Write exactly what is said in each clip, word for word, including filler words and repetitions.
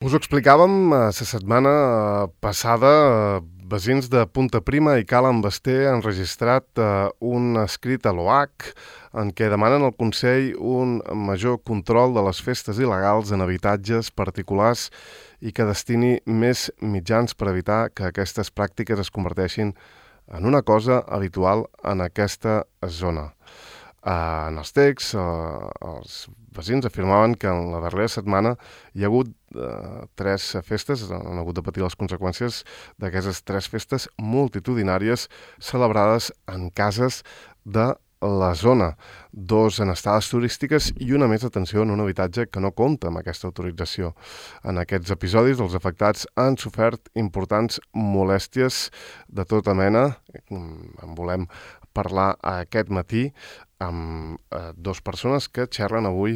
Us ho explicàvem la setmana passada, veïns de Punta Prima i Cala en Basté han registrat un escrit a l'O H en què demanen al Consell un major control de les festes il·legals en habitatges particulars i que destini més mitjans per evitar que aquestes pràctiques es converteixin en una cosa habitual en aquesta zona. Uh, en els texts, uh, els veïns afirmaven que en la darrera setmana hi ha hagut uh, tres festes, han hagut de patir les conseqüències d'aquestes tres festes multitudinàries celebrades en cases de la zona, dos en estades turístiques i una més atenció en un habitatge que no compta amb aquesta autorització. En aquests episodis els afectats han sofert importants molèsties de tota mena. En volem parlar aquest matí amb eh, dues persones que xerren avui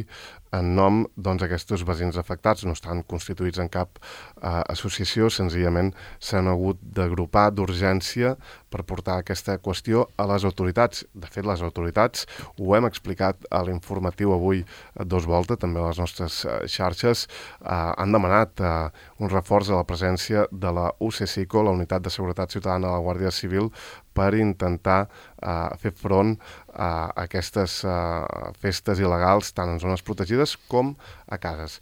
en nom doncs, d'aquests veïns afectats. No estan constituïts en cap eh, associació, senzillament s'han hagut d'agrupar d'urgència per portar aquesta qüestió a les autoritats. De fet, les autoritats, ho hem explicat a l'informatiu avui a Dos Volta, també a les nostres eh, xarxes, eh, han demanat eh, un reforç a la presència de la U C C I C O, la Unitat de Seguretat Ciutadana de la Guàrdia Civil, per intentar eh, fer front a aquestes uh, festes il·legals tant en zones protegides com a cases.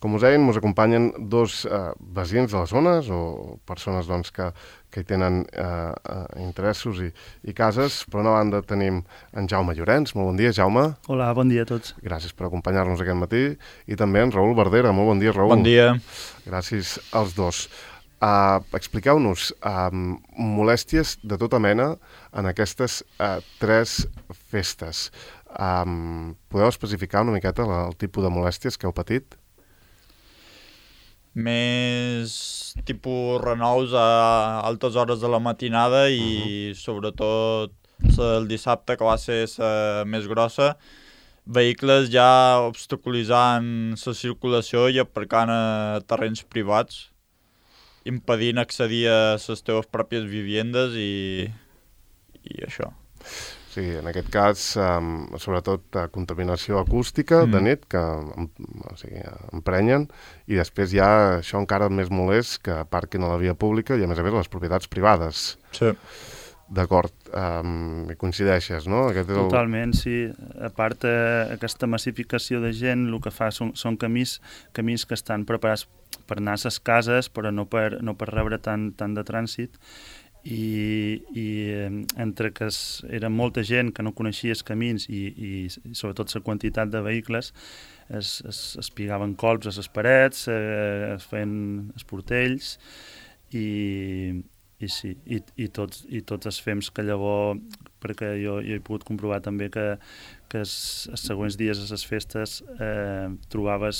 Com us deien, ens acompanyen dos uh, veïns de les zones o persones doncs, que, que hi tenen uh, uh, interessos i, i cases. Per una banda tenim en Jaume Llorenç. Molt bon dia, Jaume. Hola, bon dia a tots. Gràcies per acompanyar-nos aquest matí. I també en Raül Verdera. Molt bon dia, Raül. Bon dia. Gràcies als dos. Uh, expliqueu-nos um, molèsties de tota mena en aquestes uh, tres festes. Um, podeu especificar una miqueta la, el tipus de molèsties que heu patit? Més tipus renous a altes hores de la matinada i uh-huh. sobretot el dissabte, que va ser la més grossa, vehicles ja obstaculitzant la circulació i aparcant a terrenys privats, impedint accedir a les teves pròpies viviendes i, i això. Sí, en aquest cas, um, sobretot uh, contaminació acústica mm. de nit, que o sigui, emprenyen, i després hi ha això encara més molest, que aparquin a la via pública i, a més a més, les propietats privades. Sí. D'acord, um, hi coincideixes, no? Aquest és el... Totalment, sí. A part, eh, aquesta massificació de gent, el que fa són, són camins, camins que estan preparats per anar a les cases, però no per, no per rebre tant, tant de trànsit. I, i eh, entre que es, era molta gent que no coneixia els camins i, i, i sobretot la quantitat de vehicles, es, es, es pigaven colps a les parets, eh, es feien els portells i... I sí, i, i, tots, i tots els fems que llavors, perquè jo, jo he pogut comprovar també que, que els, els següents dies a les festes eh, trobaves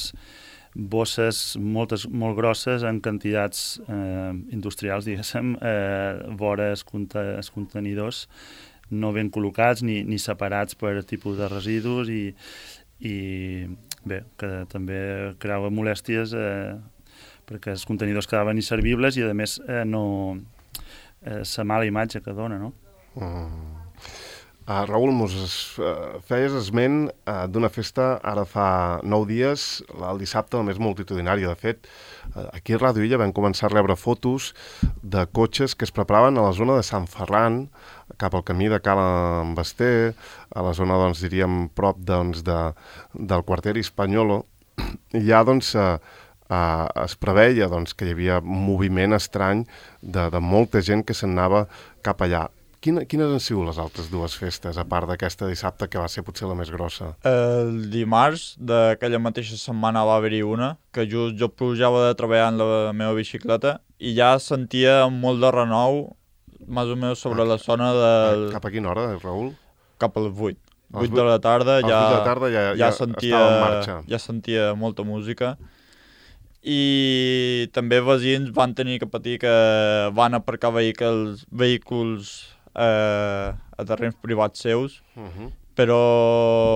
bosses moltes, molt grosses en quantitats eh, industrials, diguéssim, eh, vora els, conte, els contenidors, no ben col·locats ni, ni separats per tipus de residus i, i bé, que també creava molèsties eh, perquè els contenidors quedaven inservibles i a més eh, no... la eh, mala imatge que dona, no? Mm. Uh, Raül, mos uh, feies esment uh, d'una festa ara fa nou dies, el dissabte, la més multitudinària. De fet, uh, aquí a Ràdio Illa vam començar a rebre fotos de cotxes que es preparaven a la zona de Sant Ferran, cap al camí de Cala en Basté, a la zona, doncs, diríem, prop doncs, de, del quarter Hispaniolo. I ja, doncs, uh, Uh, es preveia doncs, que hi havia un moviment estrany de, de molta gent que se'n anava cap allà. Quina, quines han sigut les altres dues festes, a part d'aquesta dissabte, que va ser potser la més grossa? El dimarts d'aquella mateixa setmana va haver-hi una, que just jo pujava de treballar en la meva bicicleta i ja sentia molt de renou, més o menys sobre ah, la zona del... Cap a quina hora, Raül? Cap a les vuit. vuit de la tarda ja, de la tarda ja, ja, ja, sentia, estava en marxa. Ja sentia molta música. I també veïns van tenir que patir que van aparcar vehicles, vehicles eh, a terrenys privats seus, uh-huh. però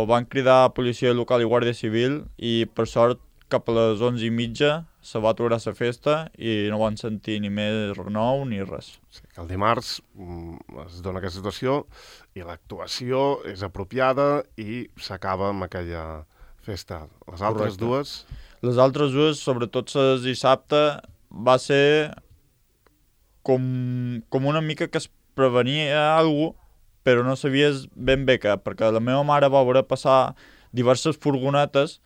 van cridar a policia local i guàrdia civil i per sort cap a les onze i mitja se va aturar la festa i no van sentir ni més renou ni res. Sí, el dimarts es dona aquesta situació i l'actuació és apropiada i s'acaba amb aquella festa. Les altres Correcte. dues... Les altres dues, sobretot les dissabte, va ser com, com una mica que es prevenia alguna cosa, però no sabies ben bé què, perquè la meva mare va veure passar diverses furgonetes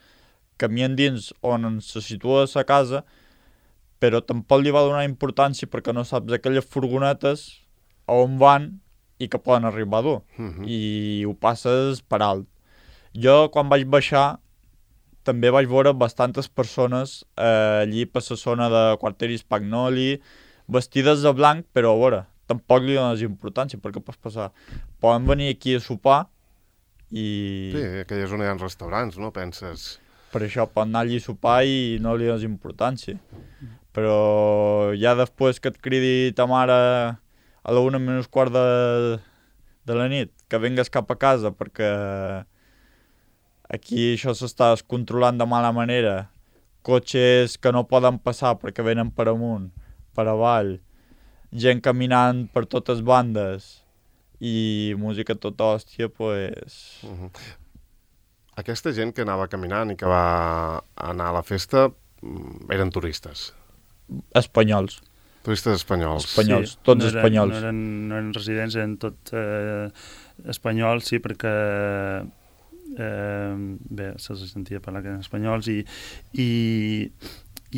camien dins on se situa la casa, però tampoc li va donar importància perquè no saps aquelles furgonetes a on van i que poden arribar a dur, uh-huh. i ho passes per alt. Jo, quan vaig baixar, també vaig veure bastantes persones eh, allí per la zona de Quartieri Spagnoli, vestides de blanc, però a veure, tampoc li dones importància, perquè pots passar. Poden venir aquí a sopar i... Sí, aquella zona hi ha restaurants, no? Penses... Per això poden anar allí a sopar i no li dones importància. Però ja després que et cridi ta mare a la una menys quart de, de la nit, que vengues cap a casa perquè aquí això s'està descontrolant de mala manera, cotxes que no poden passar perquè venen per amunt, per avall, gent caminant per totes bandes i música tota hòstia, pues... Uh-huh. Aquesta gent que anava caminant i que va anar a la festa eren turistes? Espanyols. Turistes espanyols. Espanyols, sí, tots no eren, espanyols. No eren, no eren residents, eren tot eh, espanyols, sí, perquè eh, bé, se'ls sentia parlar que eren espanyols i, i,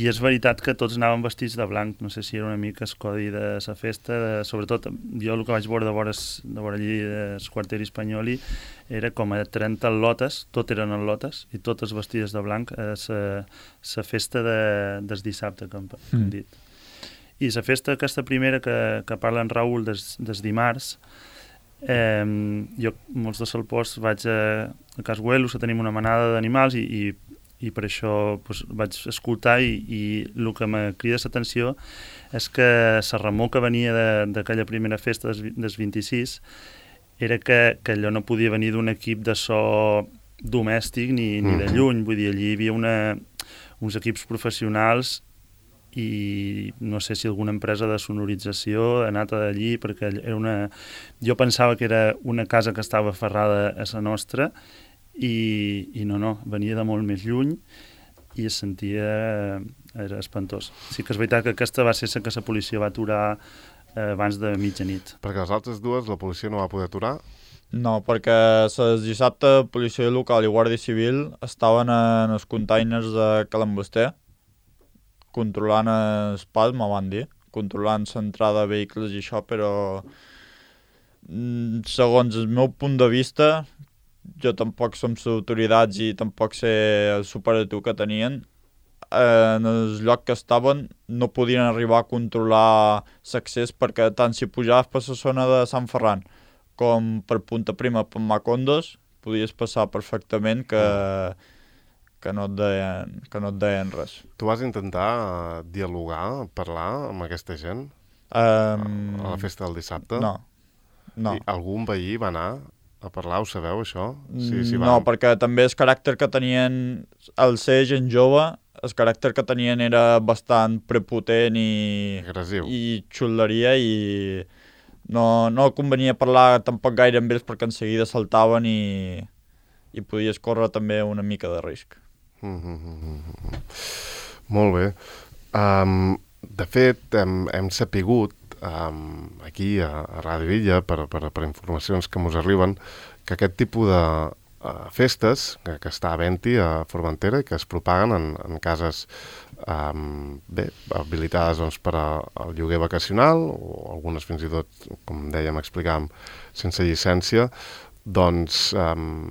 i és veritat que tots anaven vestits de blanc, no sé si era una mica el codi de la festa, de, sobretot jo el que vaig veure de vora, de vora allí del Quartieri Spagnoli era com a trenta lotes, tot eren lotes i totes vestides de blanc a la festa de, del dissabte, com hem Mm. dit. I la festa aquesta primera que, que parla en Raül des, des dimarts, eh, jo molts de Salpós vaig a, a Cas Güelos a tenim una manada d'animals i, i, i per això pues, vaig escoltar i, i el que me crida l'atenció és que la remor que venia d'aquella primera festa des, des vint-i-sis era que, que allò no podia venir d'un equip de so domèstic ni, ni de lluny, vull dir, allí hi havia una, uns equips professionals i no sé si alguna empresa de sonorització ha anat allí perquè era una... jo pensava que era una casa que estava aferrada a la nostra i, i no, no, venia de molt més lluny i es sentia... era espantós. Sí que és veritat que aquesta va ser la que la policia va aturar eh, abans de mitjanit. Perquè les altres dues la policia no va poder aturar? No, perquè les dissabte policia local i guàrdia civil estaven en els containers de Calambester controlant el pas, me van dir, controlant l'entrada de vehicles i això, però segons el meu punt de vista, jo tampoc som les autoritats i tampoc sé el superatiu que tenien, en el lloc que estaven no podien arribar a controlar l'accés perquè tant si pujaves per la zona de Sant Ferran com per Punta Prima, per Macondos, podies passar perfectament que... que no et deien, que no et deien res. Tu vas intentar dialogar, parlar amb aquesta gent Um, a la festa del dissabte? No, no. I algun veí va anar a parlar, ho sabeu, això? Sí, sí, no, va... perquè també el caràcter que tenien, al ser gent jove, el caràcter que tenien era bastant prepotent i... agressiu. I xuleria i no, no convenia parlar tampoc gaire amb ells perquè en seguida saltaven i, i podies córrer també una mica de risc. Mm-hmm. Molt bé. Um, de fet, hem, hem sapigut um, aquí a, a Ràdio Illa, per, per, per informacions que ens arriben, que aquest tipus de uh, festes que, que està a Venti, a Formentera, i que es propaguen en, en cases um, bé, habilitades doncs, per al lloguer vacacional, o algunes fins i tot, com dèiem, explicàvem, sense llicència, doncs um,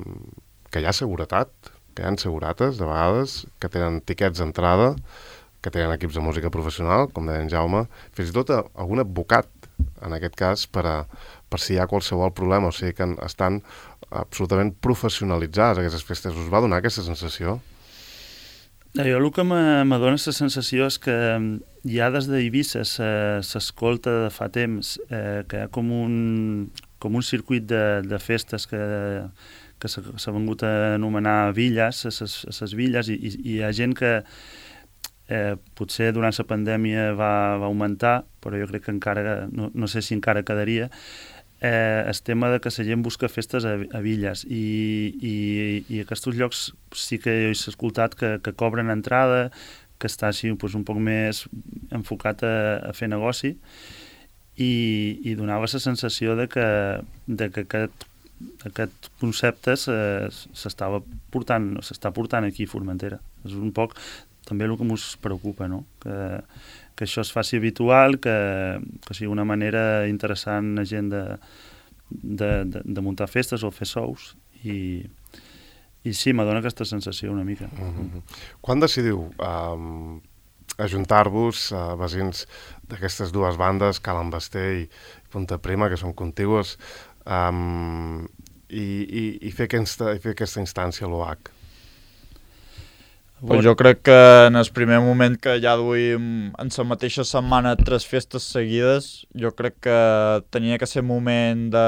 que hi ha seguretat, que hi ha segurates, de vegades, que tenen tiquets d'entrada, que tenen equips de música professional, com deia en Jaume, fins i tot algun advocat, en aquest cas, per, a, per si hi ha qualsevol problema, o sigui que estan absolutament professionalitzades aquestes festes. Us va donar aquesta sensació? Jo el que m'adona la sensació és que ja des d'Eivissa s'escolta de fa temps eh, que hi ha com un, com un circuit de, de festes que... que s'ha vengut a anomenar villes, a les villes, i, i, i hi ha gent que eh, potser durant la pandèmia va, va augmentar, però jo crec que encara, no, no sé si encara quedaria, eh, el tema de que la gent busca festes a, a villes i, i, i aquests llocs sí que he escoltat que, que cobren entrada, que està així pues, un poc més enfocat a, a fer negoci i, i donava la sensació de que, de que aquest, aquest concepte s'estava portant, s'està portant aquí a Formentera. És un poc també el que ens preocupa, no? Que, que això es faci habitual, que, que sigui una manera interessant a gent de, de, de, de muntar festes o fer shows i, i sí, m'adona aquesta sensació una mica. Mm-hmm. Quan decidiu um, ajuntar-vos a uh, veïns d'aquestes dues bandes, Calen Basté i Punta Prima, que són contigües, um, i, i, i, fer aquesta, i fer aquesta instància a l'O H? Pues jo crec que en el primer moment que ja duim en la mateixa setmana tres festes seguides, jo crec que tenia que ser moment de,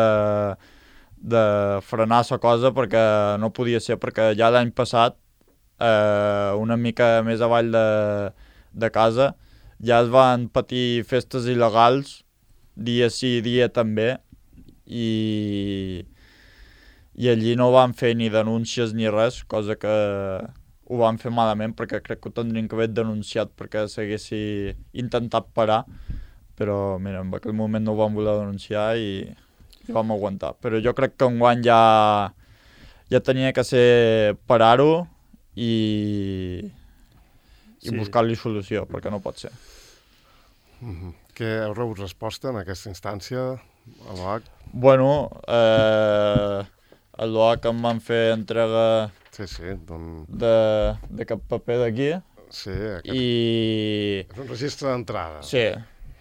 de frenar la cosa perquè no podia ser, perquè ja l'any passat, eh, una mica més avall de, de casa, ja es van patir festes il·legals, dia sí, dia també, i, i allí no van fer ni denúncies ni res, cosa que ho van fer malament perquè crec que ho tindrien que haver denunciat perquè s'haguessi intentat parar, però mira, en aquell moment no ho vam voler denunciar i, i vam aguantar. Però jo crec que enguany ja, ja tenia que ser parar-ho i, i sí. buscar-li solució, perquè no pot ser. Mm-hmm. Què heu rebut resposta en aquesta instància a l'O H? Bueno, eh, a l'O H em van fer entrega Sí, sí, don... de, de cap paper d'aquí. Sí, aquest... I... És un registre d'entrada. Sí.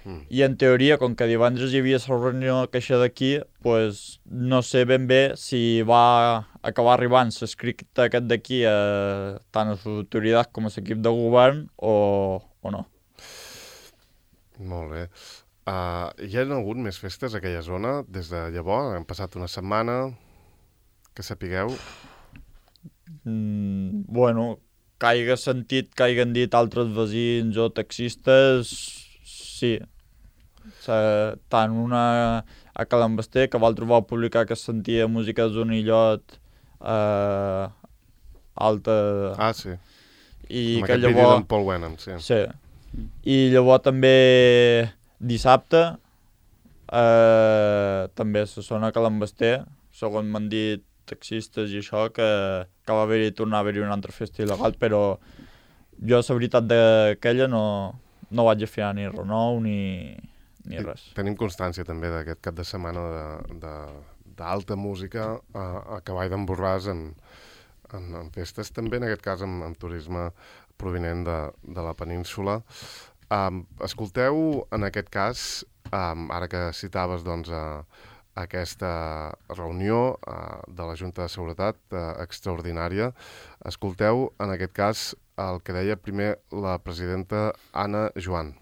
Mm. I en teoria, com que divendres hi havia la reunió queixa d'aquí, pues, no sé ben bé si va acabar arribant l'escrit aquest d'aquí a tant a les autoritats com a l'equip de govern o, o no. Molt bé. Uh, hi ha hagut més festes a aquella zona des de llavors? Han passat una setmana, que sapigueu... Mm, bueno, que hagi sentit que hagin dit altres veïns o taxistes, sí. O sigui, tant una a Calen Basté, que l'altre va publicar que es sentia música de Zonillot eh, alta... Ah, sí. I amb que aquest llavors... vídeo d'en Paul Wenham, sí. Sí. I llavors també dissabte eh, també se sona a Calen Basté, segons m'han dit taxistes i això, que, que va haver-hi, tornar a haver-hi una altra festa il·legal, però jo, la veritat d'aquella, no, no vaig a fiar ni renou ni, ni res. I tenim constància també d'aquest cap de setmana d'alta música a, a Cavall d'en Borràs en, en, en festes, també en aquest cas amb, amb turisme provinent de, de la península. Um, escolteu, en aquest cas, um, ara que citaves doncs, a aquesta reunió uh, de la Junta de Seguretat uh, extraordinària. Escolteu, en aquest cas, el que deia primer la presidenta Anna Joan.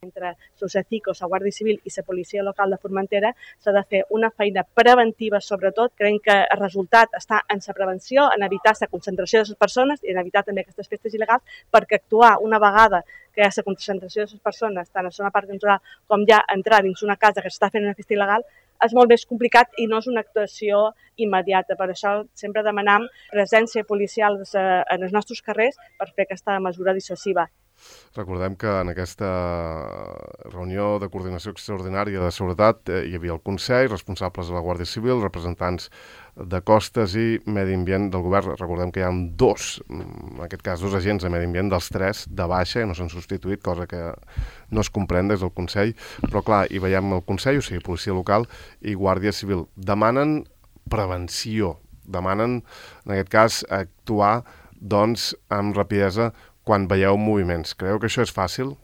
Entre Sociacicos, la Guàrdia Civil i la policia local de Formentera s'ha de fer una feina preventiva, sobretot. Creiem que el resultat està en la prevenció, en evitar la concentració de les persones i en evitar també aquestes festes il·legals, perquè actuar una vegada que hi ha la concentració de les persones, tant a la zona parc natural com ja entrar dins una casa que s'està fent una festa il·legal, és molt més complicat i no és una actuació immediata. Per això sempre demanam presència policial en els nostres carrers per fer aquesta mesura dissuasiva. Recordem que en aquesta reunió de coordinació extraordinària de seguretat eh, hi havia el Consell, responsables de la Guàrdia Civil, representants de Costes i Medi Ambient del govern. Recordem que hi ha dos, en aquest cas dos agents de Medi Ambient, dels tres de baixa, i no s'han substituït, cosa que no es comprèn des del Consell. Però clar, hi veiem el Consell, o sigui, Policia Local i Guàrdia Civil. Demanen prevenció, demanen, en aquest cas, actuar doncs, amb rapidesa quan veieu moviments. Creieu que això és fàcil?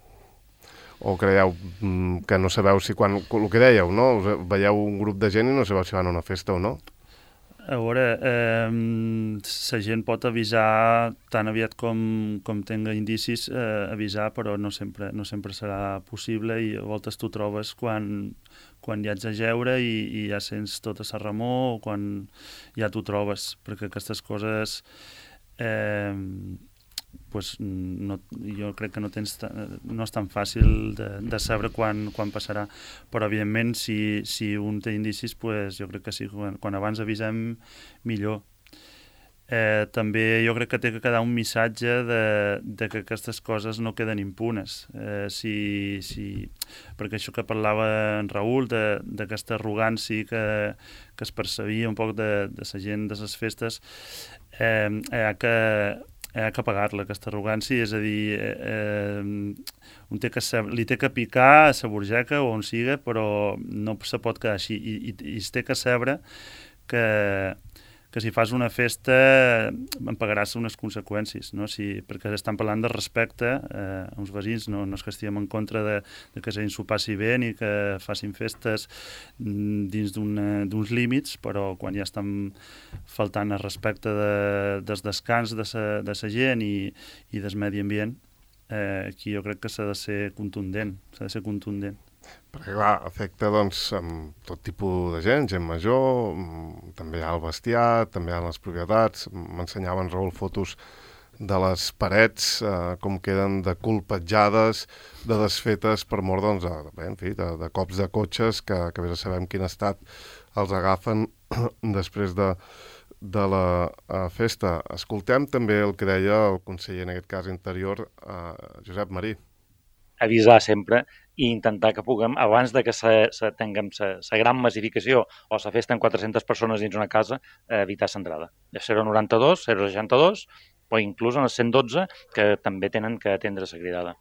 O creieu mm, que no sabeu si quan... El que dèieu, no? Veieu un grup de gent i no sabeu si van a una festa o no? A veure, eh, la gent pot avisar tan aviat com, com tenga indicis, eh, avisar, però no sempre, no sempre serà possible i a voltes t'ho trobes quan, quan ja ets a jeure i, i ja sents tota la remor o quan ja t'ho trobes, perquè aquestes coses... Eh, pues, no, jo crec que no, tens, no és tan fàcil de, de saber quan, quan passarà, però evidentment si, si un té indicis, pues, jo crec que sí, quan, quan abans avisem millor. Eh, també jo crec que té que quedar un missatge de, de que aquestes coses no queden impunes. Eh, si, si, perquè això que parlava en Raül, d'aquesta arrogància que, que es percebia un poc de, de la gent de les festes, eh, hi ha que, hi ha que pagar-la, aquesta arrogància, és a dir, eh, eh, un té que saber, li té que picar a la burgeca o on siga, però no se pot quedar així, i, i, i es té que saber que que si fas una festa en pagaràs unes conseqüències, no? Si, perquè estan parlant de respecte eh, a uns veïns, no, no és que estiguem en contra de, de que s'ho passi bé ni que facin festes dins d'uns límits, però quan ja estan faltant el respecte de, dels descans de sa, de sa gent i, i del medi ambient, eh, aquí jo crec que s'ha de ser contundent, s'ha de ser contundent. Perquè, clar, afecta, doncs, amb tot tipus de gent, gent major, també hi ha el bestiar, també hi ha les propietats. M'ensenyaven, Raül, fotos de les parets, eh, com queden de colpejades, de desfetes per mort, doncs, de, bé, en fi, de, de cops de cotxes que, que vés a saber en quin estat els agafen després de, de la uh, festa. Escoltem també el que deia el conseller, en aquest cas interior, uh, Josep Marí. Avisar sempre i intentar que puguem, abans de que se, se tinguem la gran massificació o la festa amb quatre-centes persones dins una casa, eh, evitar l'entrada. zero noranta-dos, zero seixanta-dos o inclús en el cent dotze, que també tenen que atendre la cridada.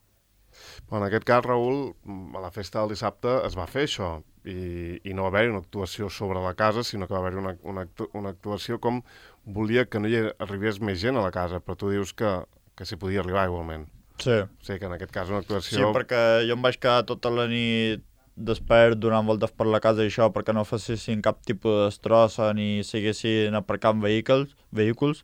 Bon, en aquest cas, Raül, a la festa del dissabte es va fer això i, i no va haver-hi una actuació sobre la casa, sinó que va haver-hi una, una, una actuació com volia que no hi arribés més gent a la casa, però tu dius que, que s'hi podia arribar igualment. Sí. O sigui que en aquest cas una actuació... Sí, perquè jo em vaig quedar tota la nit despert donant voltes per la casa i això perquè no facessin cap tipus de destrossa ni siguessin aparcant vehicles, vehicles,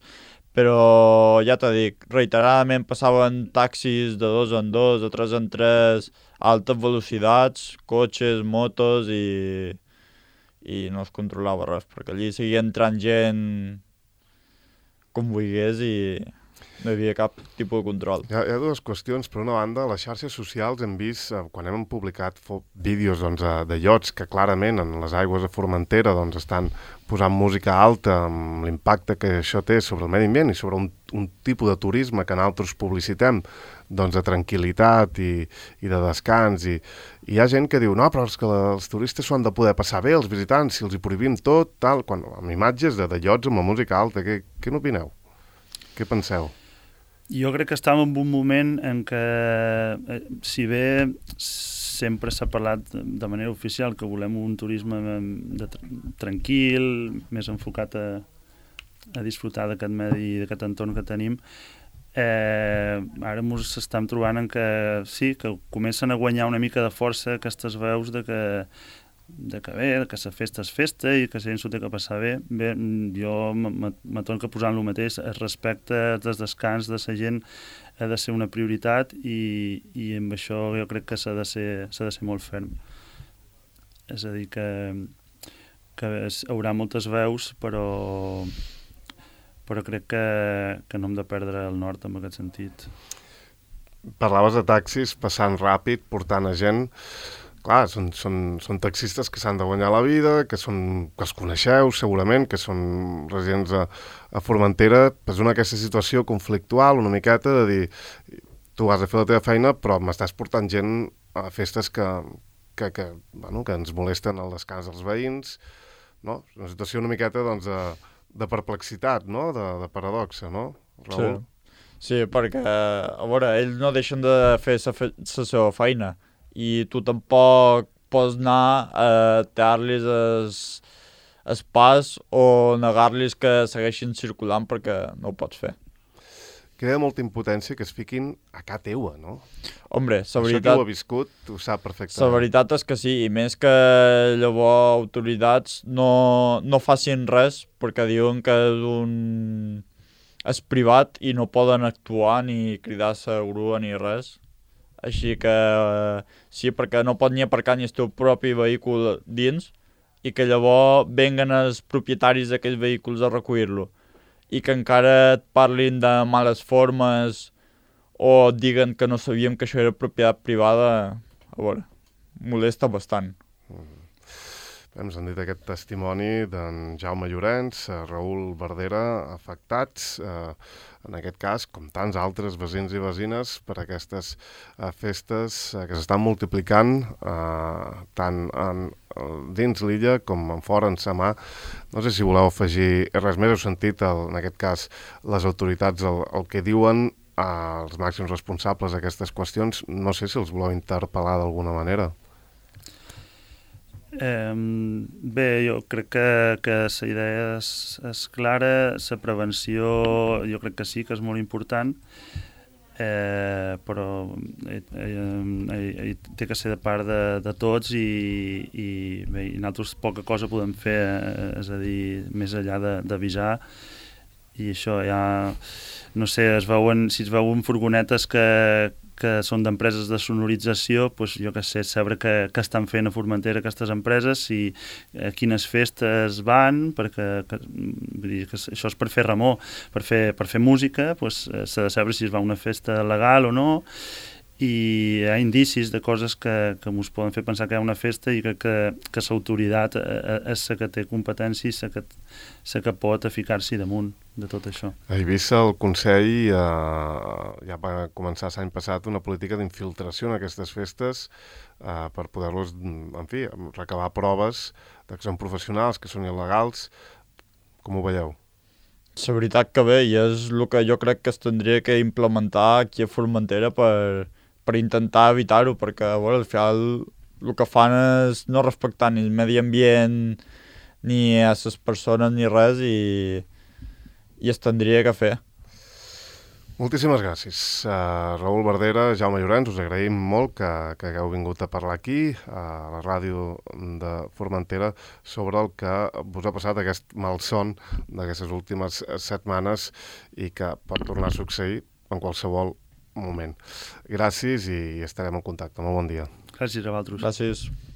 però ja t'ho dic, reiteradament passaven taxis de dos en dos, de tres en tres, a altes velocitats, cotxes, motos i, i no es controlava res, perquè allí seguia entrant gent com volgués i no hi havia cap tipus de control. Hi ha, hi ha dues qüestions. Per una banda, a les xarxes socials hem vist, eh, quan hem publicat vídeos doncs, de iots que clarament en les aigües de Formentera doncs, estan posant música alta amb l'impacte que això té sobre el medi ambient i sobre un, un tipus de turisme que nosaltres publicitem doncs, de tranquil·litat i, i de descans. I, I hi ha gent que diu, no, però és que la, els turistes s'ho han de poder passar bé, els visitants, si els hi prohibim tot, tal, quan, amb imatges de, de iots amb la música alta. Què, què n'opineu? Què penseu? Jo crec que estàvem en un moment en què, eh, si bé sempre s'ha parlat de manera oficial que volem un turisme de, tranquil, més enfocat a, a disfrutar d'aquest medi, d'aquest entorn que tenim, eh, ara ens estem trobant en que sí, que comencen a guanyar una mica de força aquestes veus de que de que bé, que la festa és festa i que la gent s'ho té que passar bé. Bé, jo me torno a posar en el mateix. El respecte dels descans de la gent ha de ser una prioritat i, i amb això jo crec que s'ha de ser, s'ha de ser molt ferm. És a dir, que, que hi haurà moltes veus, però, però crec que, que no hem de perdre el nord en aquest sentit. Parlaves de taxis passant ràpid, portant a gent. Clar, són, són, són taxistes que s'han de guanyar la vida, que, són, que els coneixeu segurament, que són residents a, a Formentera. És una aquesta situació conflictual, una miqueta, de dir, tu has de fer la teva feina, però m'estàs portant gent a festes que, que, que, bueno, que ens molesten el descans dels veïns. No? Una situació una miqueta doncs, de, de perplexitat, no? de, de paradoxa, no, Raül? Sí. sí, perquè, a veure, ells no deixen de fer la seva feina, i tu tampoc pots anar a tallar-los el pas o negar-los que segueixin circulant perquè no ho pots fer. Queda molta impotència que es fiquin a ca teua, no? Hombre, la veritat... Això que ho ha viscut, ho sap perfectament. La veritat és que sí, i més que llavors autoritats no, no facin res perquè diuen que és un... és privat i no poden actuar ni cridar la grua ni res. Així que sí, perquè no pot ni aparcar ni el teu propi vehicle dins i que llavors venguen els propietaris d'aquells vehicles a recollir-lo i que encara et parlin de males formes o diguen que no sabíem que això era propietat privada, a veure, molesta bastant. Mm. Ens han dit aquest testimoni d'en Jaume Llorenç, Raül Verdera, afectats, eh, en aquest cas, com tants altres veïns i veïnes, per aquestes eh, festes eh, que s'estan multiplicant eh, tant en, dins l'illa com en fora, en Samà. No sé si voleu afegir res més. Heu sentit, el, en aquest cas, les autoritats el, el que diuen eh, els màxims responsables d'aquestes qüestions. No sé si els voleu interpel·lar d'alguna manera. Eh, bé, jo crec que, que la idea és, és clara, la prevenció jo crec que sí, que és molt important, eh, però eh, eh, eh, té que ser de part de, de tots i, i, bé, i nosaltres poca cosa podem fer, eh, és a dir, més enllà d'avisar, i això ja, no sé, es veuen, si es veuen furgonetes que que són d'empreses de sonorització, doncs jo que sé, saber què, què estan fent a Formentera aquestes empreses, si a quines festes van, perquè que, vull dir, que això és per fer remor, per fer, per fer música, doncs s'ha de saber si es va a una festa legal o no, i hi ha indicis de coses que, que ens poden fer pensar que hi ha una festa i que, que, que l'autoritat és la que té competència i la que, la que pot ficar-s'hi damunt de tot això. A Eivissa el Consell eh, ja va començar l'any passat una política d'infiltració en aquestes festes eh, per poder-los, en fi, recabar proves de que són professionals, que són il·legals. Com ho veieu? La veritat que bé, i és el que jo crec que es tindria que implementar aquí a Formentera per, per intentar evitar-ho, perquè bueno, al final el que fan és no respectar ni el medi ambient ni a les persones ni res, i, i es tindria que fer. Moltíssimes gràcies. Uh, Raül Verdera, Jaume Llorenç, us agraïm molt que, que hagueu vingut a parlar aquí, a la ràdio de Formentera, sobre el que us ha passat aquest malson d'aquestes últimes setmanes i que pot tornar a succeir en qualsevol moment. Gràcies i estarem en contacte. Molt bon dia. Gràcies a vosaltres. Gràcies.